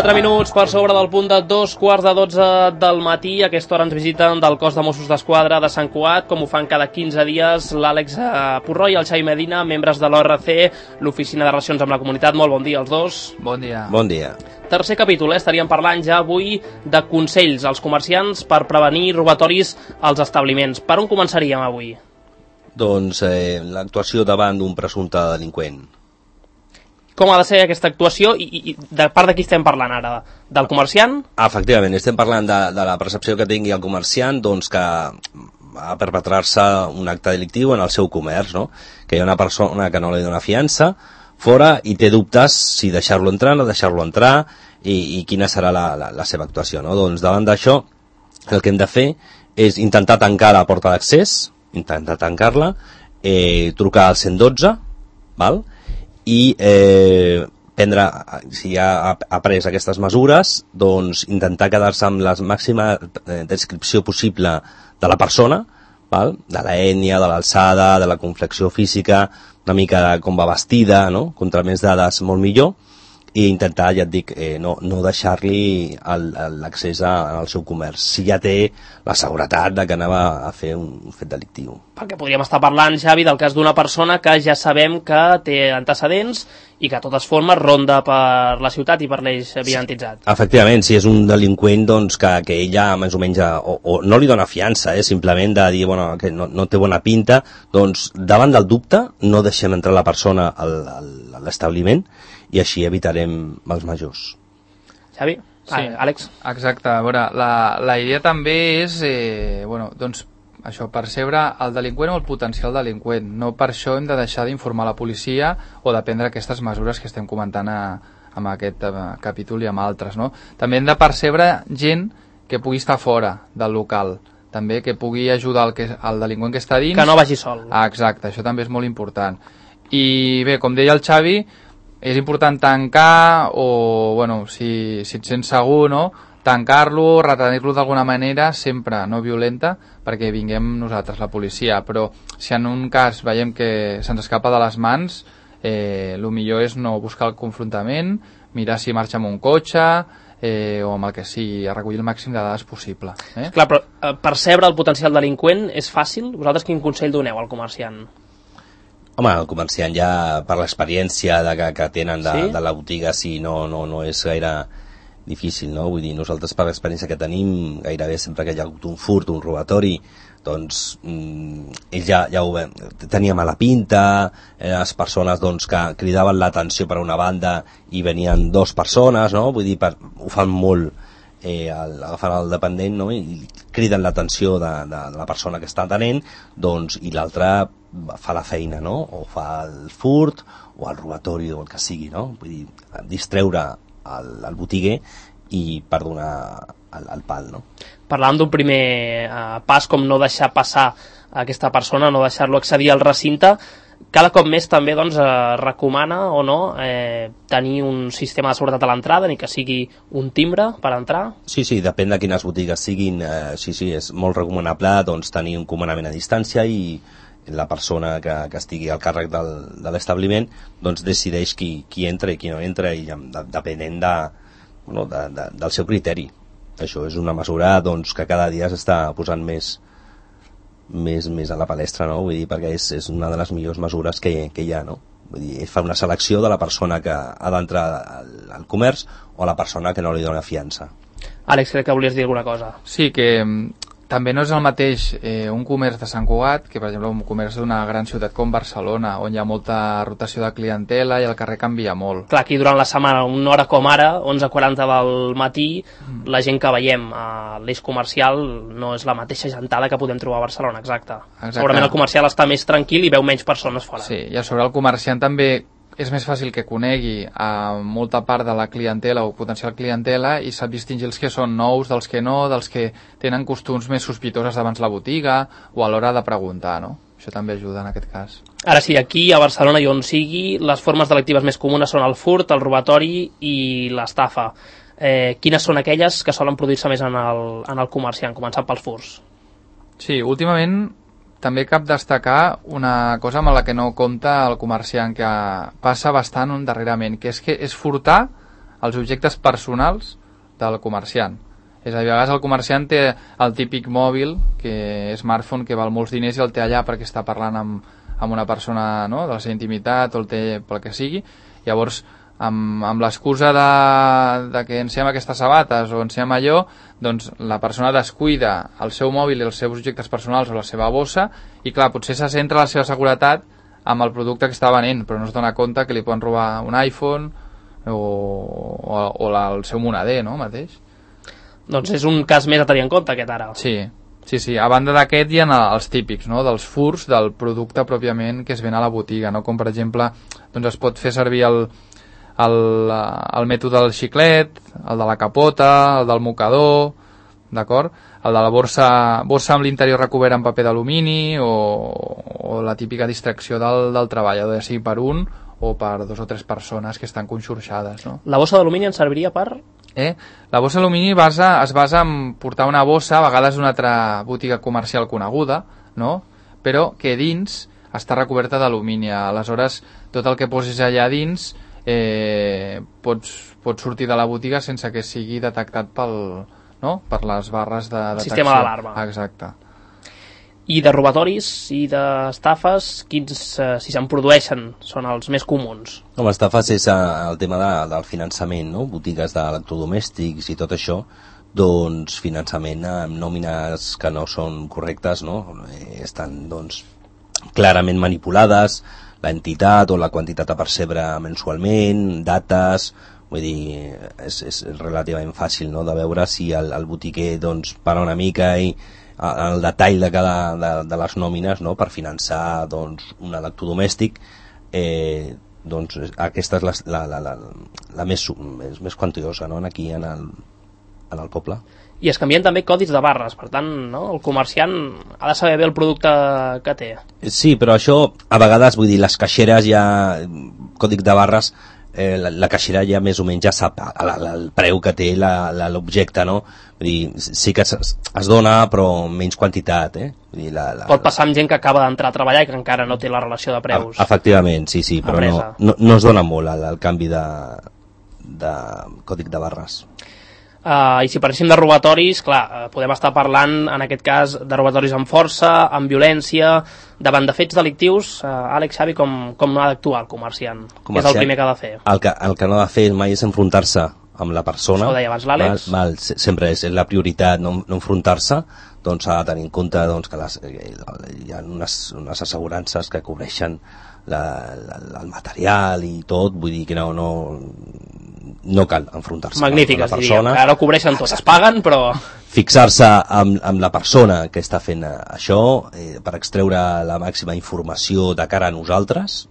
4 minuts per sobre del punt de 2:15 del matí. A aquesta hora ens visiten del cos de Mossos d'Esquadra de Sant Cugat, com ho fan cada 15 dies, l'Àlex Purró i el Xavi Medina, membres de l'ORC, l'Oficina de Relacions amb la Comunitat. Molt bon dia als dos. Bon dia. Bon dia. Tercer capítol, estaríem parlant ja avui de consells als comerciants per prevenir robatoris als establiments. Per on començaríem avui? Doncs l'actuació davant d'un presumpte delinqüent. Com ha de ser aquesta actuació i de part de qui estem parlant ara? Del comerciant? Efectivament, estem parlant de la percepció que tingui el comerciant, doncs, que va a perpetrar-se un acte delictiu en el seu comerç, no? Que hi ha una persona que no li dona fiança fora i té dubtes si deixar-lo entrar o no deixar-lo entrar i quina serà la seva actuació, no? Doncs davant d'això el que hem de fer és intentar tancar la porta d'accés, intentar tancar-la, trucar al 112, val? I prendre, si ha pres aquestes mesures, doncs intentar quedar-se amb la màxima descripció possible de la persona, val? De l'ètnia, de l'alçada, de la complexió física, una mica de com va vestida, no? Contra més dades molt millor, i intentar, ja et dic, no deixar-li l'accés al seu comerç, si ja té la seguretat de que anava a fer un fet delictiu. Perquè podríem estar parlant, Xavi, del cas d'una persona que ja sabem que té antecedents i que de totes formes ronda per la ciutat i per l'eix evidentitzat. Sí, efectivament, si és un delinqüent doncs, que ella més o menys o no li dona fiança, simplement de dir bueno, que no té bona pinta, doncs davant del dubte no deixem entrar la persona a l'establiment i així evitarem els majors. Xavi? Sí, Àlex? Exacte, a veure, la idea també és doncs, això, percebre el delinqüent o el potencial delinqüent. No per això hem de deixar d'informar la policia o de prendre aquestes mesures que estem comentant amb aquest capítol i amb altres, no? També hem de percebre gent que pugui estar fora del local, també que pugui ajudar el delinqüent que està dins. Que no vagi sol. Exacte, això també és molt important. I bé, com deia el Xavi, és important tancar o, bueno, si et sents segur, no? Tancar-lo, retenir-lo d'alguna manera, sempre no violenta, perquè vinguem nosaltres, la policia. Però si en un cas veiem que se'ns escapa de les mans, el millor és no buscar el confrontament, mirar si marxa amb un cotxe o amb el que sigui, a recollir el màxim de dades possible. Clar, però percebre el potencial delinqüent és fàcil? Vosaltres quin consell doneu al comerciant? Home, el comerciant ja per l'experiència que tenen de la botiga sí, no és gaire difícil, no? Vull dir, nosaltres per l'experiència que tenim, gairebé sempre que hi ha hagut un furt, un robatori, doncs ells ja ho veuen, tenia mala pinta, les persones doncs, que cridaven l'atenció per una banda i venien dues persones, no? Vull dir, ho fan molt, agafant el dependent, no? I criden l'atenció de la persona que està atenent, doncs, i l'altra fa la feina, no? O fa el furt o el robatori o el que sigui, no? Vull dir, distreure el botiguer i per donar el pal, no? Parlàvem d'un primer pas, com no deixar passar aquesta persona, no deixar-lo accedir al recinte. Cada cop més també doncs, recomana o no tenir un sistema de seguretat a l'entrada, ni que sigui un timbre per entrar? Sí, depèn de quines botigues siguin. Sí, és molt recomanable doncs, tenir un comandament a distància i la persona que estigui al càrrec de l'establiment doncs decideix qui entra i qui no entra i depenent del seu criteri. Això és una mesura doncs, que cada dia s'està posant més a la palestra, no? Vull dir, perquè és una de les millors mesures que hi ha, no? Vull dir, fa una selecció de la persona que ha d'entrar al comerç o la persona que no li dona fiança. Àlex, crec que volies dir alguna cosa. Sí, que també no és el mateix un comerç de Sant Cugat que, per exemple, un comerç d'una gran ciutat com Barcelona, on hi ha molta rotació de clientela i el carrer canvia molt. Clar, aquí durant la setmana, una hora com ara, 11:40 del matí, la gent que veiem a l'eix comercial no és la mateixa gentada que podem trobar a Barcelona, exacte. Segurament el comercial està més tranquil i veu menys persones fora. Sí, i a sobre el comerciant també és més fàcil que conegui a molta part de la clientela o potencial clientela i sap distingir els que són nous dels que no, dels que tenen costums més sospitoses davant la botiga o a l'hora de preguntar, no? Això també ajuda en aquest cas. Ara sí, aquí a Barcelona i on sigui, les formes delictives més comunes són el furt, el robatori i l'estafa. Quines són aquelles que solen produir-se més en el comerciant, començant pels furts? Sí, últimament també cap destacar una cosa amb la que no compta el comerciant, que passa bastant darrerament, que és furtar els objectes personals del comerciant. És a dir, a vegades el comerciant té el típic mòbil, smartphone, que val molts diners i el té allà perquè està parlant amb una persona, no?, de la seva intimitat, o el té pel que sigui. Llavors, amb l'excusa de que enciem aquestes sabates o enciem allò, doncs la persona descuida el seu mòbil i els seus objectes personals o la seva bossa, i clar, potser se centra la seva seguretat amb el producte que està venent, però no es dona compte que li poden robar un iPhone o el seu moneder, no?, mateix. Doncs és un cas més a tenir en compte, aquest ara. Sí. A banda d'aquest hi ha els típics, no?, dels furts del producte pròpiament que es ven a la botiga, no?, com per exemple, doncs es pot fer servir el mètode del xiclet, el de la capota, el del mocador, d'acord? El de la bossa amb l'interior recobert en paper d'alumini, o la típica distracció del treballador, ja sigui per un o per 2 o 3 persones que estan conxorxades, no? La bossa d'alumini ens serviria per? La bossa d'alumini es basa en portar una bossa, a vegades d'una altra botiga comercial coneguda, no?, però que dins està recoberta d'alumini. Aleshores, tot el que posis allà dins pots sortir de la botiga sense que sigui detectat per les barres de detecció. Sistema d'alarma. Exacte. I de robatoris i d'estafes, quins, si se'n produeixen, són els més comuns? Com estafes és el tema del finançament, no? Botigues d'electrodomèstics i tot això, doncs finançament amb nòmines que no són correctes, no? Estan doncs clarament manipulades, l'entitat o la quantitat a percebre mensualment, dates, vull dir, és relativament fàcil, no?, de veure si el botiquer doncs para una mica i el detall de les nòmines, no?, per finançar doncs un electrodomèstic, doncs aquesta és la més quantiosa, no?, aquí en el poble. I es canvien també codis de barres, per tant, no?, el comerciant ha de saber bé el producte que té. Sí, però això, a vegades, vull dir, les caixeres ja, còdic de barres, la caixera ja més o menys ja sap el preu que té l'objecte, no? Vull dir, sí que es dona, però menys quantitat, Vull dir, pot passar amb gent que acaba d'entrar a treballar i que encara no té la relació de preus. Efectivament, sí, però no es dona molt el canvi de còdic de barres. I si parléssim de robatoris, clar, podem estar parlant en aquest cas de robatoris amb força, amb violència, davant de fets delictius. Àlex, Xavi, com ha d'actuar el comerciant? Què és el primer que ha de fer? El que no ha de fer mai és enfrontar-se amb la persona. Això ho deia abans l'Àlex. Sempre és la prioritat no enfrontar-se, doncs s'ha de tenir en compte doncs, que hi ha unes assegurances que cobreixen el material i tot, vull dir que no cal enfrontar-se amb la persona. Ara ho cobreixen tot, es paguen, però... Fixar-se amb la persona que està fent això per extreure la màxima informació de cara a nosaltres,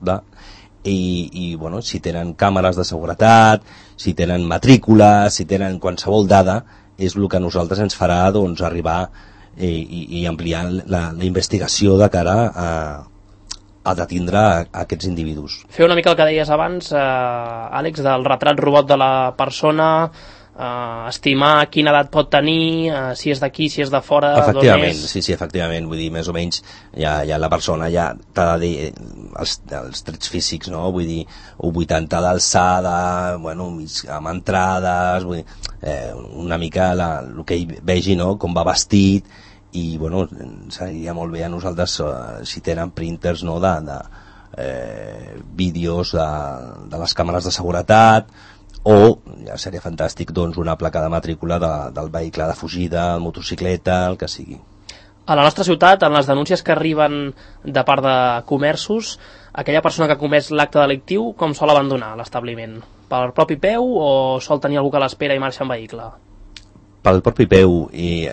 i bueno, si tenen càmeres de seguretat, si tenen matrícula, si tenen qualsevol dada, és el que a nosaltres ens farà doncs, arribar i ampliar la investigació de cara a detindre aquests individus. Fer una mica el que deies abans, Àlex, del retrat robot de la persona, estimar quina edat pot tenir, si és d'aquí, si és de fora, efectivament, sí, efectivament, vull dir, més o menys ja la persona ja t'ha de dir els trets físics, no? Vull dir, 80 d'alçada, bueno, amb entrades, vull dir, una mica el que ell vegi, no? Com va vestit, i bueno, seria molt bé a nosaltres si tenen printers, no? de vídeos de les càmeres de seguretat, o ja seria fantàstic doncs, una placa de matrícula del vehicle de fugida, el motocicleta, el que sigui. A la nostra ciutat, en les denúncies que arriben de part de comerços, aquella persona que ha comès l'acte delictiu com sol abandonar l'establiment? Per propi peu o sol tenir algú que l'espera i marxa en vehicle? Pel propi peu, i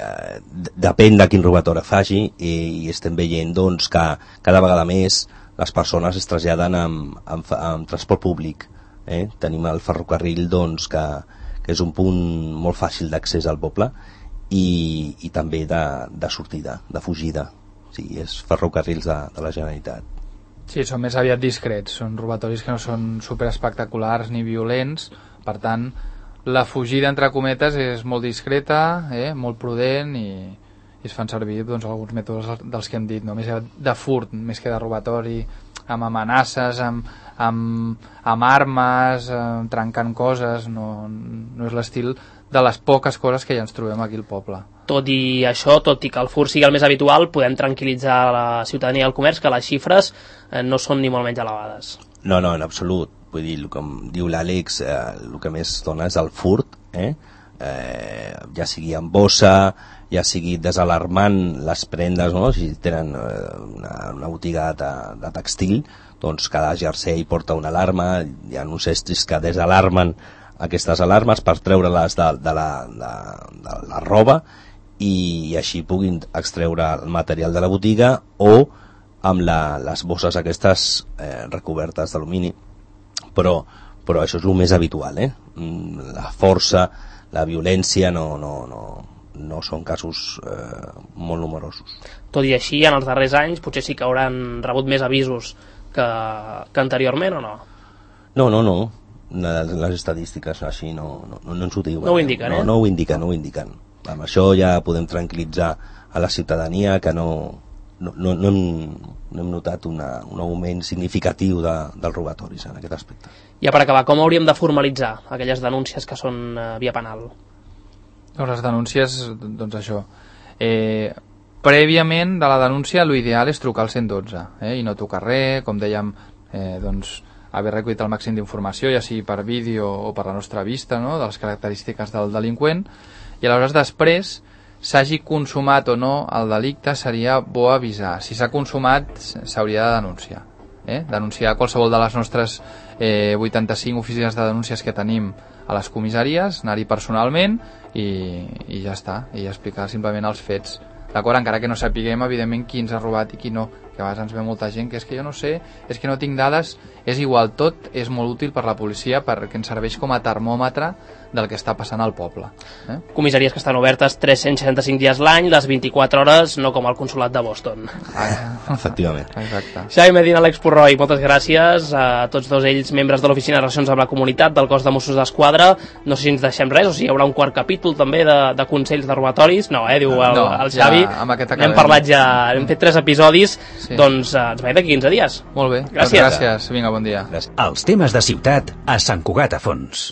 depèn de quin robatori faci, i estem veient doncs, que cada vegada més les persones es traslladen amb transport públic. Tenim el ferrocarril doncs, que és un punt molt fàcil d'accés al poble i també de sortida, de fugida. O sigui, és ferrocarrils de la Generalitat. Sí, són més aviat discrets, són robatoris que no són superespectaculars ni violents, per tant la fugida entre cometes és molt discreta, molt prudent, i es fan servir doncs, alguns mètodes dels que hem dit, no? Més de furt, més que de robatori, amb amenaces, amb armes, trencant coses, no és l'estil de les poques coses que ja ens trobem aquí al poble. Tot i això, tot i que el furt sigui el més habitual, podem tranquil·litzar la ciutadania i el comerç que les xifres no són ni molt menys elevades. No, en absolut. Vull dir, com diu l'Àlex, el que més dona és el furt, ja sigui en bossa, ja sigui desalarmant les prendes, no? Si tenen una botiga de textil, doncs cada jersei porta una alarma, hi ha uns estris que desalarmen aquestes alarmes per treure-les de la roba i així puguin extreure el material de la botiga o amb les bosses aquestes recobertes d'alumini. Però això és el més habitual, la força, la violència no són casos molt numerosos. Tot i així, en els darrers anys potser sí que hauran rebut més avisos que anteriorment o no? No. Les estadístiques així no ens ho diuen. No ho indiquen, No ho indiquen. Amb això ja podem tranquil·litzar a la ciutadania que no hem notat un augment significatiu dels robatoris en aquest aspecte. Ja per acabar, com hauríem de formalitzar aquelles denúncies que són via penal? Les denúncies, doncs això, prèviament de la denúncia l'ideal és trucar al 112 i no tocar res, com dèiem, doncs haver recollit el màxim d'informació, ja sigui per vídeo o per la nostra vista, no?, de les característiques del delinqüent, i aleshores després, s'hagi consumat o no el delicte, seria bo avisar. Si s'ha consumat, s'hauria de denunciar. Denunciar qualsevol de les nostres 85 oficines de denúncies que tenim a les comissaries, anar-hi personalment i ja està, i explicar simplement els fets. D'acord? Encara que no sapiguem, evidentment, qui ens ha robat i qui no, que a vegades ens ve molta gent que és que jo no sé, és que no tinc dades, és igual, tot és molt útil per la policia perquè ens serveix com a termòmetre del que està passant al poble. Comissaries que estan obertes 365 dies l'any, les 24 hores, no com el consolat de Boston. Efectivament. Exacte. Xavi Medina, Àlex Purroi, moltes gràcies a tots dos ells, membres de l'Oficina de Relacions amb la Comunitat del cos de Mossos d'Esquadra. No sé si ens deixem res, o si hi haurà un quart capítol també de consells de robatoris. No, diu el Xavi. Ja, hem parlat ja, hem fet 3 episodis, sí. Doncs ens veiem d'aquí 15 dies. Molt bé, gràcies. Gràcies. Vinga, bon dia. Els temes de ciutat a Sant Cugat a Fons.